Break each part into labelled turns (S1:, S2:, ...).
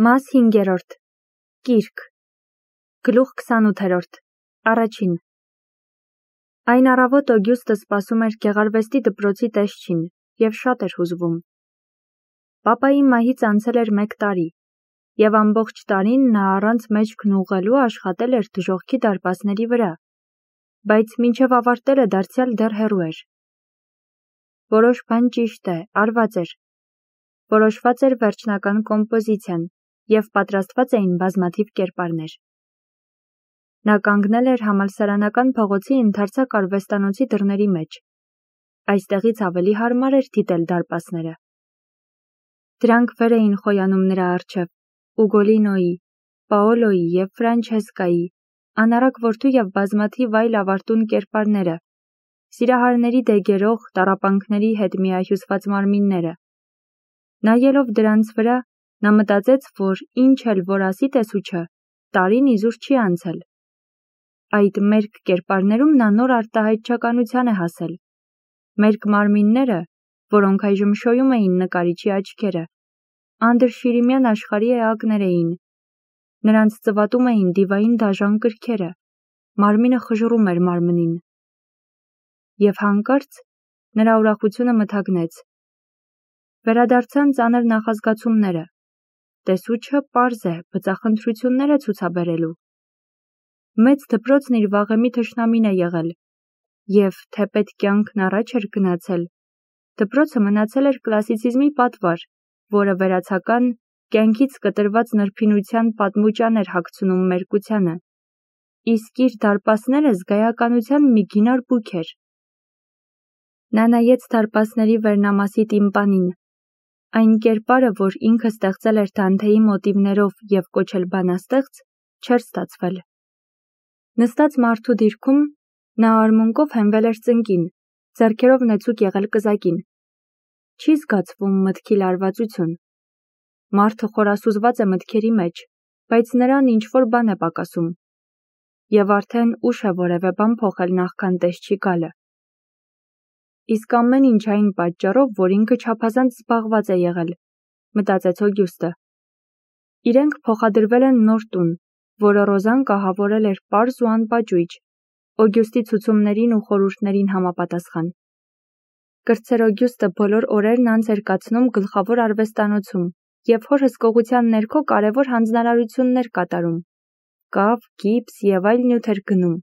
S1: Մաս 5-րդ Կիրք Գլուխ 28-րդ Առաջին Այն առավոտ Օգյուստը սպասում էր գեղարվեստի դպրոցի տեսչին և շատ էր հուզվում։ Պապայի մահից անցել էր 1 տարի, և ամբողջ տարին նա առանց մեջքն ուղղելու աշխատել էր դժոխքի դարպասների վրա, բայց մինչև ավարտելը դարձյալ դեռ հեռու էր։ Որոշ բան ճիշտ է, արված էր։ Որոշված էր վերջնական կոմպոզիցիան, և պատրաստված էին բազմաթիվ կերպարներ։ Նա կանգնել էր համալսարանական փողոցի ընդարձակ արվեստանոցի դռների մեջ։ Այստեղից ավելի հարմար էր դիտել դարպասները։ Դրանք վեր էին խոյանում նրա առջև Ուգոլինոյի, Պաոլոյի և Ֆրանչեսկայի, անառակ որդու և բազմաթիվ այլ ավարտուն կերպարները, սիրահարների դեգերող տառապանքների հետ միահյուսված մարմինները։ Նայելով դրանց վրա, նա մտածեց, որ ինչ էլ որ ասի տեսուչը, տարին իզուր չի անցել։ Այդ մերկ կերպարներում նա նոր արտահայտչականության է հասել։ Մերկ մարմինները, որոնք այժմ շոյում էին նկարիչի աչքերը, անդրշիրիմյան աշխարհի էակներ էին։ Նրանց ծվատում էին դիվային դաժան կրքերը, մարմինը խժռում էր մարմնին։ Եվ հանկարծ նրա ուրախությունը մթագնեց։ Վերադարձան ծանր նախազգացումները։ Տեսուչը պարզ է, բծախնդրություններ է ցուցաբերելու։ Մեծ դպրոցն իր վաղեմի թշնամին է եղել, և թեպետ կյանքն առաջ էր գնացել, դպրոցը մնացել էր կլասիցիզմի պատվար, որը վերացական, կյանքից կտրված նրբինության պատմուճան էր հագցնում մերկությանը, իսկ իր դարպասները զգայականության մի գինար բուք էր։ Նա նայեց դարպասների վերնամասի տիմպանին, այն կերպարը, որ ինքը ստեղծել էր Դանթեի մոտիվներով և կոչել բանաստեղծ, չէր ստացվել։ Նստած մարդու դիրքում, նա արմունկով հենվել էր ծնկին, ձեռքերով նեցուկ եղել կզակին։ Չի զգացվում մտքի լարվածություն։ Մարդը խորասուզված է մտքերի մեջ, բայց նրան ինչ-որ բան է պակասում։ Եվ արդեն ուշ է որևէ բան փոխել նախքան տեսչի գալը։ Իսկ ամեն ինչ այն պատճառով, որ ինքը չափազանց զբաղված է եղել, մտածեց Օգյուստը։ Իրենք փոխադրվել են նոր տուն, որը Ռոզան կահավորել էր պարզ ու անպաճույճ, Օգյուստի ցուցումներին ու խորհուրդներին համապատասխան։ Կրտսեր Օգյուստը բոլոր օրերն անց էր կացնում գլխավոր արվեստանոցում և հոր հսկողության ներքո կարևոր հանձնարարություններ կատարում, կավ, գիպս և այլ նյութ էր գնում։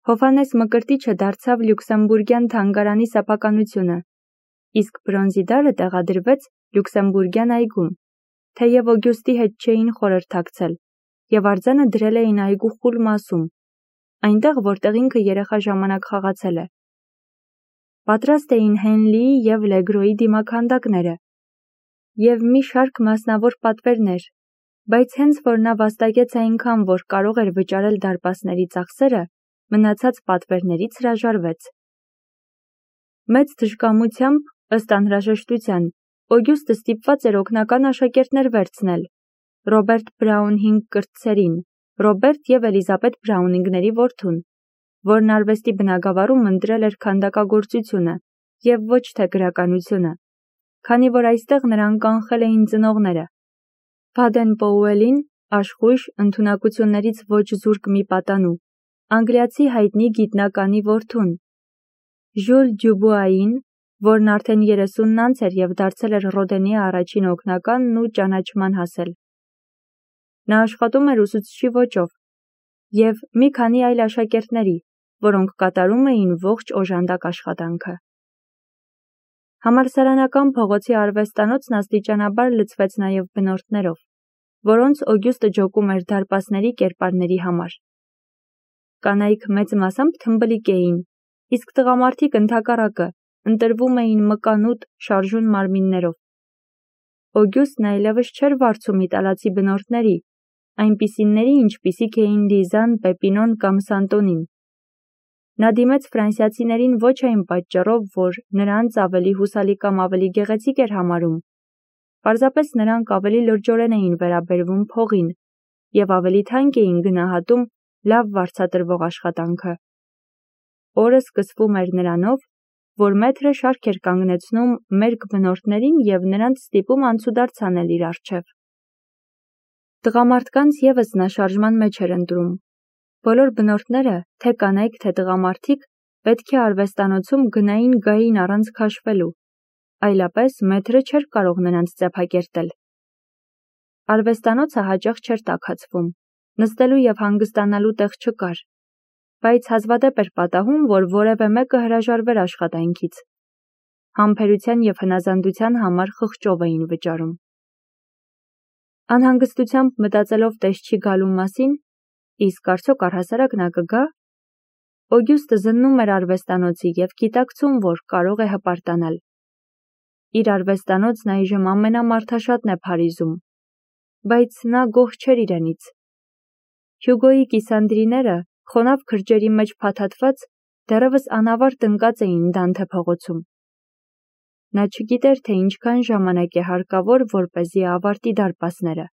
S1: Հովհաննես Մկրտիչը դարձավ Լյուքսեմբուրգյան թանգարանի սեփականությունը, իսկ բրոնզի դարը տեղադրվեց Լյուքսեմբուրգյան այգում, թեև Օգյուստի հետ չէին խորհրդակցել, և արձանը դրել էին այգու խուլ մասում, այնտեղ, որտեղ ինքը երեխա ժամանակ խաղացել է։ Պատրաստ էին Հենլիի և Լեգրոյի դիմաքանդակները և մի շարք մասնավոր պատվերներ, բայց հենց որ նա վաստակեց այնքան, որ կարող էր վճարել դարպասների ծախսերը, մնացած պատվերներից հրաժարվեց։ Մեծ թշկամությամբ, ըստ անհրաժեշտության, Օգյուստը ստիպված էր օգնական աշակերտներ վերցնել Ռոբերտ Բրաունհինգ կրտսերին, Ռոբերտ և Էլիզաբետ Բրաունինգների որդուն, որն արվեստի բնագավառում ընտրել էր քանդակագործությունը և ոչ թե գրականությունը, քանի որ այստեղ նրան կանխել էին ծնողները, Բադեն Պոուելին, աշխույժ, ընդունակություններից ոչ զուրկ մի պատանու, անգլիացի հայտնի գիտնականի որդուն, Ժյուլ Դյուբուային, որն արդեն 30-ն անց էր և դարձել էր Ռոդենի առաջին օգնականն ու ճանաչման հասել։ Նա աշխատում էր ուսուցչի ոճով և մի քանի այլ աշակերտների, որոնք կատարում էին ողջ օժանդակ աշխատանքը։ Համալսարանական փողոցի արվեստանոցն աստիճանաբար լցվեց նաև բնորդներով, որոնց Օգյուստը ջոկում էր դարպասների կերպարների համար։ Կանայք մեծ մասամբ թմբլիկ էին, իսկ տղամարդիկ ընդհակառակը ընտրվում էին մկանուտ, շարժուն մարմիններով։ Օգյուստն այլևս չէր վարձում իտալացի բնորդների, այնպիսիների, ինչպիսիք էին Լիզան, Պեպինոն կամ Սանտոնին։ Նա դիմեց ֆրանսիացիներին ոչ այն պատճառով, որ նրանց ավելի հուսալի կամ ավելի գեղեցիկ էր համարում, պարզապես նրանք ավելի լրջորեն էին վերաբերվում փողին և ավելի թանկ էին գնահատում լավ վարձատրվող աշխատանքը։ Օրը սկսվում էր նրանով, որ մեթրը շարք էր կանգնեցնում մերկ բնորդներին և նրանց ստիպում անցուդարձ անել իր առջև։ Տղամարդկանց ևս նա շարժման մեջ էր ընտրում։ Բոլոր բնորդները, թե կանայք, թե տղամարդիկ, պետք է արվեստանոցում գնային գային առանց քաշվելու, այլապես մեթրը չէր կարող նրանց ծեփակերտել։ Արվեստանոցը հաճախ չէր տաքացվում, նստելու և հանգստանալու տեղ չկար, բայց հազվադեպ էր պատահում, որ որևէ մեկը հրաժարվեր աշխատանքից։ Համբերության և հնազանդության համար խղճով էին վճարում։ Անհանգստությամբ մտածելով տեսչի գալու մասին, իսկ արդյոք առհասարակ նա կգա, Օգյուստը զննում էր արվեստանոցի և գիտակցում, որ կարող է հպարտանալ։ Իր արվեստանոցն այժմ ամենամարդաշատն է Փարիզում, բայց նա գոհ չէր իրենից։ Հյուգոյի կիսանդրիները, խոնավ քրջերի մեջ փաթաթված, դեռևս անավարտ ընկած էին Դանթե փողոցում։ Նա չգիտեր, թե ինչքան ժամանակ է հարկավոր, որպեսզի ավարտի դարպասները։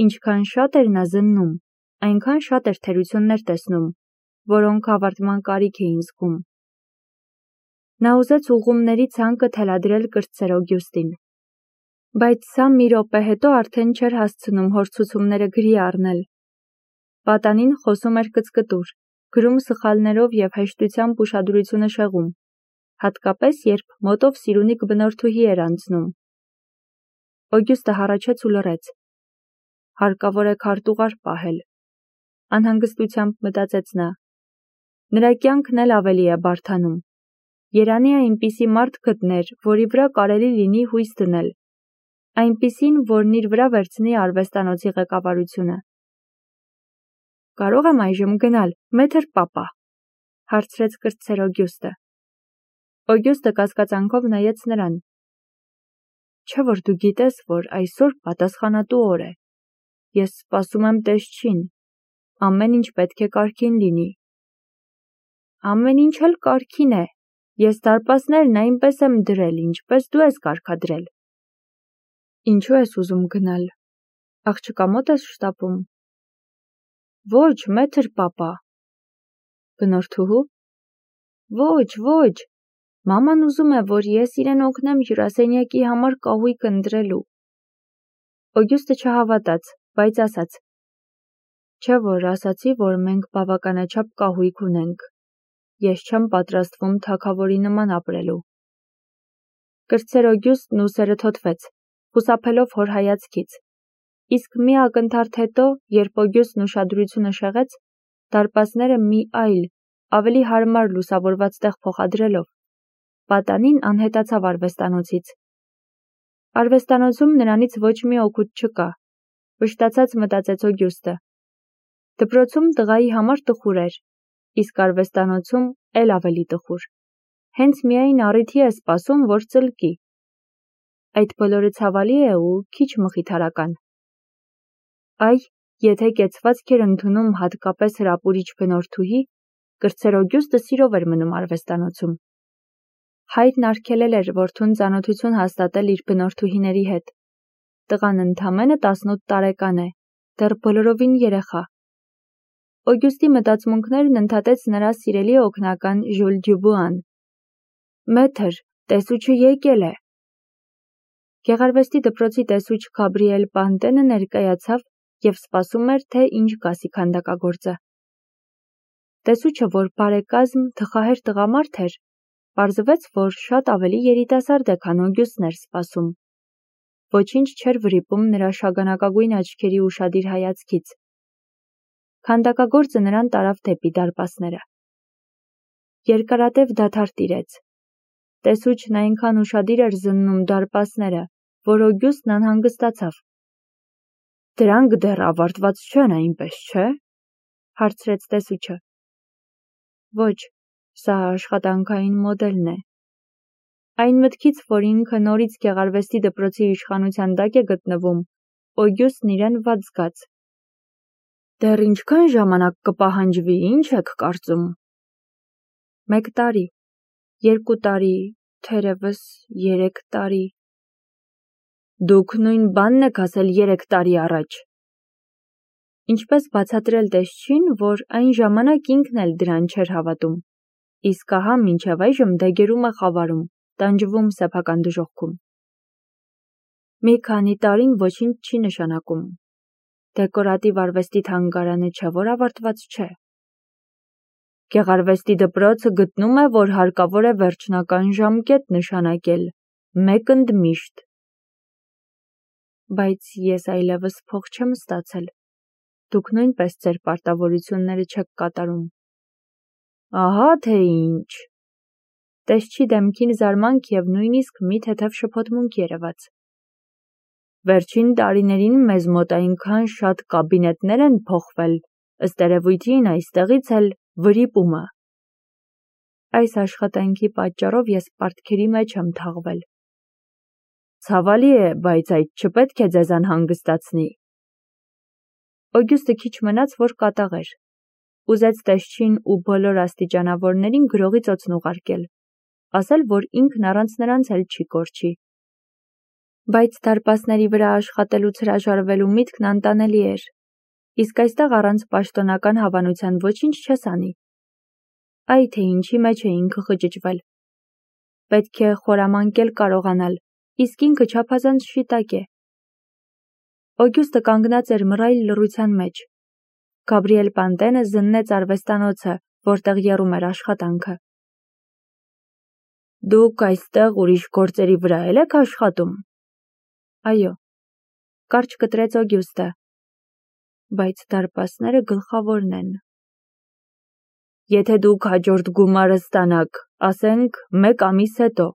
S1: Ինչքան շատ էր նա զննում, այնքան շատ էր թերություններ տեսնում, որոնք ավարտման կարիք էին զգում։ Նա ուզեց ուղղումների ցանկը թելադրել կրտսեր Օգյուստին, բայց սա մի րոպե հետո արդեն չէր հասցնում հոր ցուցումները գրի առնել։ Պատանին խոսում էր կծկտուր, գրում սխալներով և հեշտությամբ ուշադրությունը շեղում, հատկապես երբ մոտով սիրունիկ բնորդուհի էր անցնում։ Օգյուստը հառաչեց ու լռեց։ Հարկավոր է քարտուղար պահել, անհանգստությամբ մտածեց նա։ Նրա կյանքն էլ ավելի է բարդանում։ Երանի այնպիսի մարդ գտներ, որի վրա կարելի լինի հույս դնել, այնպիսին, որն իր վրա վերցնի արվեստանոցի ղեկավարությունը։ Կարող եմ այժմ գնալ, մեթր պապա, հարցրեց կրտսեր Օգյուստը։ Օգյուստը կասկածանքով նայեց նրան։ Չէ՞ որ դու գիտես, որ այսօր պատասխանատու օր է։ Ես սպասում եմ տեսչին, ամեն ինչ պետք է կարգին լինի։ Ամեն ինչ էլ կարգին է, ես դարպասներն այնպես եմ դրել, ինչպես դու ես կարգադրել։ Ինչու ես ուզում գնալ, աղջկա մոտ ես շտապում։ Ոչ, մեթր պապա։ Բնորդուհու։ Ոչ, մաման ուզում է, որ ես իրեն օգնեմ հյուրասենյակի համար կահույք ընտրելու։ Օգյուստը չհավատաց, բայց ասաց. Չէ՞ որ ասացի, որ մենք բավականաչափ կահույք ունենք։ Ես չեմ պատրաստվում թագավորի նման ապրելու։ Կրտսեր Օգյուստն ուսերը թոթվեց, խուսափելով հոր հայացքից, իսկ մի ակնթարթ հետո, երբ Օգյուստն ուշադրությունը շեղեց, դարպասները մի այլ, ավելի հարմար լուսավորված տեղ փոխադրելով, պատանին անհետացավ արվեստանոցից։ Արվեստանոցում նրանից ոչ մի օգուտ չկա, վշտացած մտածեց Օգյուստը։ Դպրոցում տղայի համար տխուր էր, իսկ արվեստանոցում էլ ավելի տխուր։ Հենց միայն առիթի է սպասում, որ ծլկի։ Այդ բոլորը ցավալի է ու քիչ մխիթարական։ Այ, եթե կեցվածք էր ընդունում հատկապես հրապուրիչ բնորդուհի, կրտսեր Օգյուստը սիրով էր մնում արվեստանոցում։ Հայրն արգելել էր որդուն ծանոթություն հաստատել իր բնորդուհիների հետ։ Տղան ընդամենը 18 տարեկան է, դեռ բոլորովին երեխա։ Օգյուստի մտածմունքներն ընդհատեց նրա սիրելի օգնական Ժյուլ Դյուբուան։ Մեթր, տեսուչը եկել է։ Գեղարվեստի դպրոցի տեսուչ Գաբրիել Պանտենը ներկայացավ և սպասում էր, թե ինչ կասի քանդակագործը։ Տեսուչը, որ բարեկազմ, թխահեր տղամարդ էր, պարզվեց, որ շատ ավելի երիտասարդ է, քան Օգյուստն էր սպասում։ Ոչինչ չէր վրիպում նրա շագանակագույն աչքերի ուշադիր հայացքից։ Քանդակագործը նրան տարավ դեպի դարպասները։ Երկարատև դադար տիրեց։ Տեսուչն այնքան ուշադիր էր զննում դարպասները, որ Օգյուստն անհանգստացավ։ Դրանք դեռ ավարտված չեն, այնպես չէ՞, հարցրեց տեսուչը։ Ոչ, սա աշխատանքային մոդելն է։ Այն մտքից, որ ինքը նորից գեղարվեստի դպրոցի իշխանության տակ է գտնվում, Օգյուստն իրեն վատ զգաց։ Դեռ ինչքան ժամանակ կպահանջվի, ինչ եք կարծում։ 1 տարի, 2 տարի, թերևս 3 տարի։ Դուք նույն բանն եք ասել 3 տարի առաջ։ Ինչպես բացատրել տեսչին, որ այն ժամանակ ինքն էլ դրան չէր հավատում, իսկ ահա մինչև այժմ դեգերում է խավարում, տանջվում սեփական դժոխքում։ Մի քանի տարին ոչինչ չի նշանակում, Դեկորատիվ արվեստի թանգարանը չէ, որ ավարտված չէ։ Գեղարվեստի դպրոցը գտնում է, որ հարկավոր է վերջնական ժամկետ նշանակել, մեկ ընդմիշտ։ Բայց ես այլևս փող չեմ ստացել։ Դուք նույնպես ձեր պարտավորությունները չեք կատարում։ Ահա թե ինչ։ Տեսչի դեմքին զարմանք և նույնիսկ մի թեթև շփոթմունք երևաց։ Վերջին տարիներին մեզ մոտ այնքան շատ կաբինետներ են փոխվել, ըստ երևույթին այստեղից էլ վրիպումը։ Այս աշխատանքի պատճառով ես պարտքերի մեջ եմ թաղվել։ Ցավալի է, բայց այդ չպետք է ձեզ անհանգստացնի։ Օգյուստը քիչ մնաց, որ կատաղեր։ Ուզեց տեսչին ու բոլոր աստիճանավորներին գրողի ծոցն ուղարկել, ասել, որ ինքն առանց նրանց էլ չի կորչի։ Բայց դարպասների վրա աշխատելուց հրաժարվելու միտքն անտանելի էր, իսկ այստեղ առանց պաշտոնական հավանության ոչինչ չես անի։ Այ թե ինչի մեջ է ինքը խճճվել։ Պետք է խորամանկել կարողանալ, իսկ ինքը չափազանց շիտակ է։ Օգյուստը կանգնած էր մռայլ լռության մեջ։ Գաբրիել Պանտենը զննեց արվեստանոցը, որտեղ եռում էր աշխատանքը։ Դուք այստեղ ուրիշ գործերի վրա եք աշխատում։ Այո, կարճ կտրեց Օգյուստը, բայց դարպասները գլխավորն են։ Եթե դուք հաջորդ գումարը ստանաք, ասենք, 1 ամիս հետո,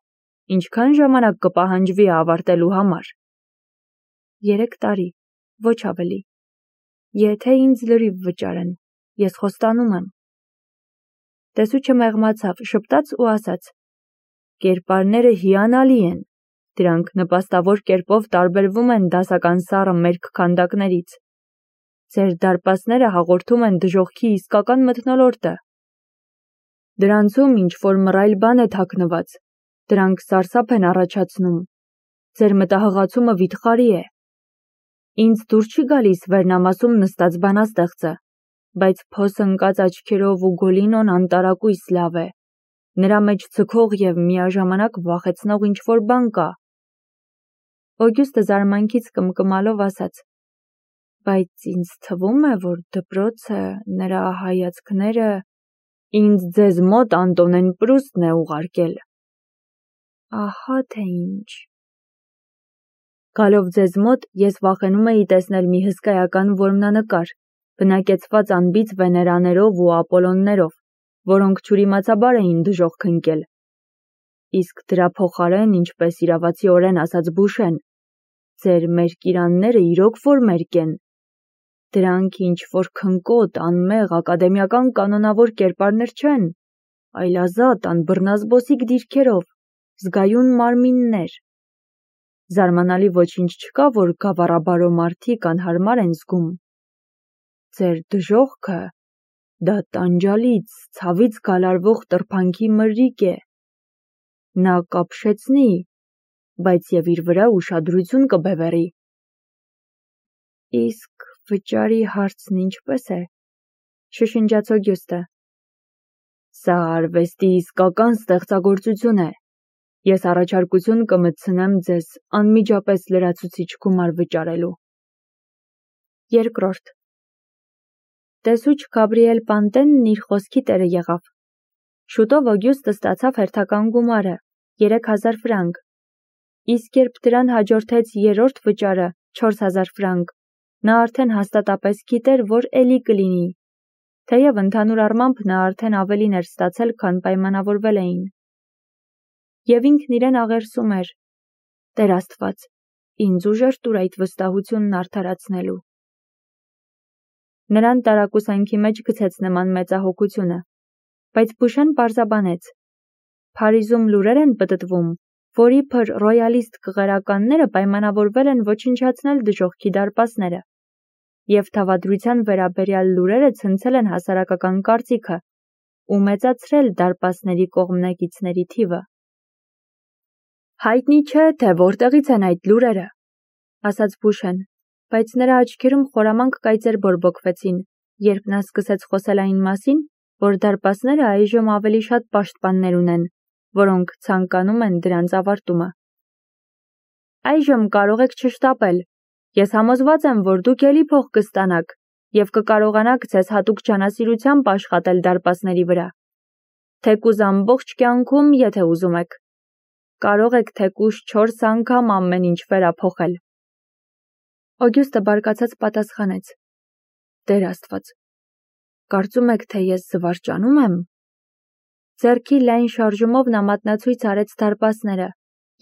S1: ինչքան ժամանակ կպահանջվի ավարտելու համար։ 3 տարի, ոչ ավելի։ Եթե ինձ լրիվ վճարեն, ես խոստանում եմ։ Տեսուչը մեղմացավ, շպտաց ու ասաց. Կերպարները հիանալի են, դրանք նպաստավոր կերպով տարբերվում են դասական սառը մերկ քանդակներից։ Ձեր դարպասները հաղորդում են դժոխքի իսկական մթնոլորտը։ Դրանցում ինչ-որ մռայլ բան է թաքնված, դրանք սարսափ են առաջացնում։ Ձեր մտահղացումը վիթխարի է։ Ինձ դուր չի գալիս վերնամասում նստած բանաստեղծը, բայց փոս ընկած աչքերով ու գոլինոն անտարակույս լավ է։ Նրա մեջ ձգող և միաժամանակ վախեցնող ինչ-որ բան կա։ Օգյուստը զարմանքից կմկմալով ասաց. Բայց ինձ թվում է, որ դպրոցը, նրա հայացքները, ինձ ձեզ մոտ Անտոնեն Պրուստն է ուղարկել։ Ահա թե ինչ։ Գալով ձեզ մոտ, ես վախենում էի տեսնել մի հսկայական որմնանկար, բնակեցված անբիծ Վեներաներով ու Ապոլոններով, որոնք չուրիմացաբար էին դժոխք ընկել։ Իսկ դրա փոխարեն, ինչպես իրավացիորեն ասաց Բուշեն, ձեր մերկիրանները իրոք որ մերկ են։ Դրանք ինչ-որ քնկոտ, անմեղ, ակադեմիական կանոնավոր կերպարներ չեն, այլ ազատ, անբռնազբոսիկ դիրքերով, զգայուն մարմիններ։ Զարմանալի ոչինչ չկա, որ գավառաբարո մարդիկ անհարմար են զգում։ Ձեր դժոխքը, դա տանջալից, ցավից գալարվող տրփանքի մրրիկ է։ Նա կապշեցնի, բայց և իր վրա ուշադրություն կբևեռի։ Իսկ վճարի հարցն ինչպես է, շշնջաց Օգյուստը։ Սա արվեստի իսկական ստեղծագործություն է։ Ես առաջարկություն կմտցնեմ ձեզ անմիջապես լրացուցիչ գումար վճարելու։ Երկրորդ։ Տեսուչ Գաբրիել Պանտենն իր խոսքի տերը եղավ։ Շուտով Օգյուստը ստացավ հերթական գումարը, 3000 ֆրանկ, իսկ երբ դրան հաջորդեց երրորդ վճարը, 4000 ֆրանկ, նա արդեն հաստատապես գիտեր, որ էլի կլինի, թեև ընդհանուր առմամբ նա արդեն ավելին էր ստացել, քան պայմանավորվել էին։ Եվ ինքն իրեն աղերսում էր. Տեր Աստված, ինձ ուժեր տուր այդ վստահությունն արդարացնելու։ Նրան տարակուսանքի մեջ գցեց նման մեծահոգությունը, բայց Բուշեն պարզաբանեց. Փարիզում լուրեր են պտտվում, որ իբր ռոյալիստ կղերականները պայմանավորվել են ոչնչացնել դժոխքի դարպասները, և թավադրության վերաբերյալ լուրերը ցնցել են հասարակական կարծիքը ու մեծացրել դարպասների կողմնակիցների թիվը։ Հայտնի չէ, թե որտեղից են այդ լուրերը, ասաց Բուշեն, բայց նրա աչքերում խորամանկ կայծեր բորբոքվեցին, երբ նա սկսեց խոսել այն մասին, որ դարպասները այժմ ավելի շատ պաշտպաններ ունեն, որոնք ցանկանում են դրանց ավարտումը։ Այժմ կարող եք չշտապել, Ես համոզված եմ, որ դուք էլի փող կստանաք և կկարողանաք ձեզ հատուկ ջանասիրությամբ աշխատել դարպասների վրա։ Թեկուզ ամբողջ կյանքում, եթե ուզում եք։ Կարող եք թեկուզ 4 անգամ ամեն ինչ վերափոխել։ Օգյուստը բարկացած պատասխանեց. Տեր Աստված, կարծում եք, թե ես զվարճանում եմ։ Ձեռքի լայն շարժումով նա մատնացույց արեց դարպասները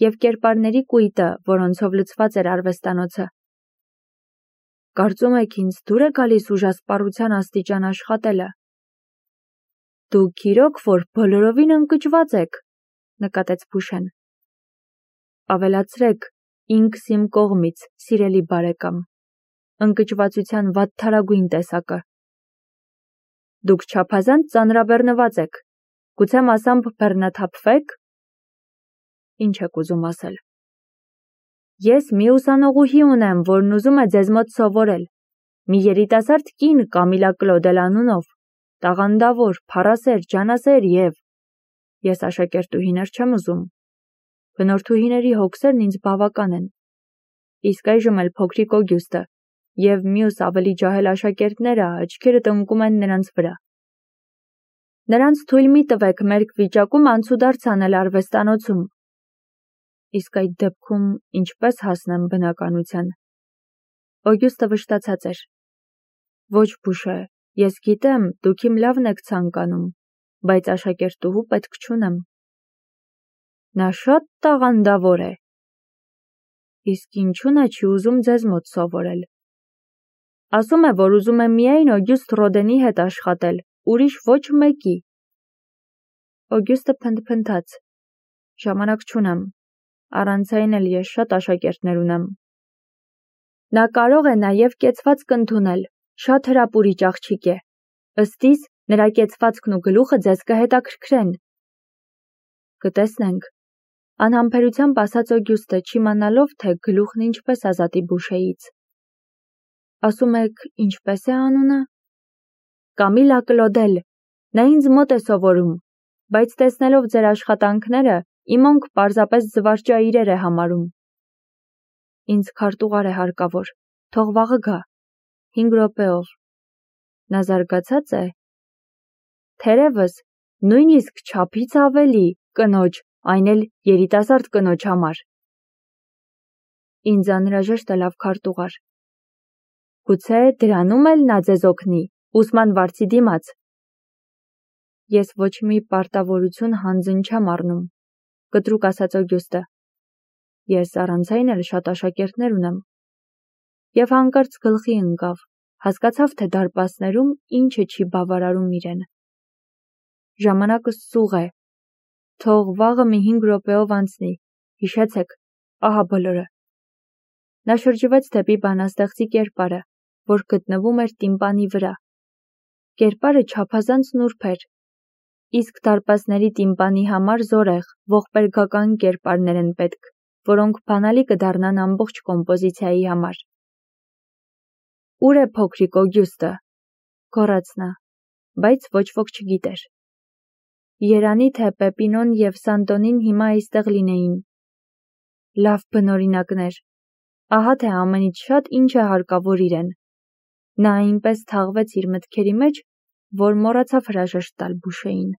S1: և կերպարների կույտը, որոնցով լցված էր արվեստանոցը։ Կարծում եք ինձ դուր է գալիս ուժասպառության աստիճան աշխատելը։ Դուք իրոք որ բոլորովին ընկճված եք, նկատեց Փուշեն։ Ավելացրեք, ինքս իմ կողմից, սիրելի բարեկամ, ընկճվածության վատթարագույն տեսակը։ Դուք չափազանց ծանրաբեռնված եք, գուցե մասամբ բեռնաթափվեք։ Ինչ եք ուզում ասել։ Ես մի ուսանողուհի ունեմ, որն ուզում է ձեզ մոտ սովորել, մի երիտասարդ կին Կամիլա Կլոդել անունով, տաղանդավոր, փառասեր, ջանասեր և… Ես աշակերտուհիներ չեմ ուզում։ Բնորդուհիների հոգսերն ինձ բավական են։ Իսկ այժմ էլ փոքրիկ Օգյուստը և մյուս ավելի ջահել աշակերտները աչքերը տնկում են նրանց վրա։ Նրանց թույլ մի տվեք մերկ վիճակում անցուդարձ անել արվեստանոցում։ Իսկ այդ դեպքում ինչպես հասնեմ բնականության։ Օգյուստը վշտացած էր։ Ոչ Փուշե, ես գիտեմ, դուք իմ լավն եք ցանկանում, բայց աշակերտուհու պետք չունեմ։ Նա շատ տաղանդավոր է։ Իսկ ինչու նա չի ուզում ձեզ մոտ սովորել։ Ասում է, որ ուզում է միայն Օգյուստ Ռոդենի հետ աշխատել, ուրիշ ոչ մեկի։ Օգյուստը փնթփնթաց։ Ժամանակ չունեմ։ Առանց այն էլ ես շատ աշակերտներ ունեմ։ Նա կարող է նաև կեցվածք ընդունել, շատ հրապուրիչ աղջիկ է։ Ըստ իս, նրա կեցվածքն ու գլուխը ձեզ կհետաքրքրեն։ Կտեսնենք, անհամբերությամբ ասաց Օգյուստը, չիմանալով, թե գլուխն ինչպես ազատի Բուշեից։ Ասում եք, ինչպես է անունը։ Կամիլա Կլոդել, նա ինձ մոտ է սովորում, բայց տեսնելով ձեր աշխատանքները, իմ օնք պարզապես զվարճաիրեր է համարում։ Ինձ քարտուղար է հարկավոր, թող վաղը գա, 5 րոպեով։ Նա զարգացած է։ Թերևս, նույնիսկ չափից ավելի, կնոջ, այն էլ երիտասարդ կնոջ համար։ Ինձ անհրաժեշտ է լավ քարտուղար։ Գուցե դրանում էլ նա ձեզ օգնի, ուսման վարձի դիմաց։ Ես ոչ մի պարտավորություն հանձն չեմ առնում, կտրուկ ասաց Օգյուստը։ Ես առանց այն էլ շատ աշակերտներ ունեմ։ Եվ հանկարծ գլխի ընկավ, հասկացավ, թե դարպասներում ինչը չի բավարարում իրեն։ Ժամանակը սուղ է։ Թող վաղը մի 5 րոպեով անցնի, հիշեցեք, ահա բոլորը։ Նա շրջվեց դեպի բանաստեղծի կերպարը, որ գտնվում էր տիմպանի վրա։ Կերպարը չափազանց նուրբ էր, իսկ դարպասների տիմպանի համար զորեղ, ողբերգական կերպարներ են պետք, որոնք բանալի կդառնան ամբողջ կոմպոզիցիայի համար։ Ուր է փոքրիկ Օգյուստը, գոռաց նա, բայց ոչ ոք չգիտեր։ Երանի թե Պեպինոն և Սանտոնին հիմա այստեղ լինեին։ Լավ բնօրինակներ, ահա թե ամենից շատ ինչ է հարկավոր իրեն։ Նա այնպես թաղվեց իր մտքերի մեջ, որ մոռացավ հրաժեշտ տալ Բուշեին։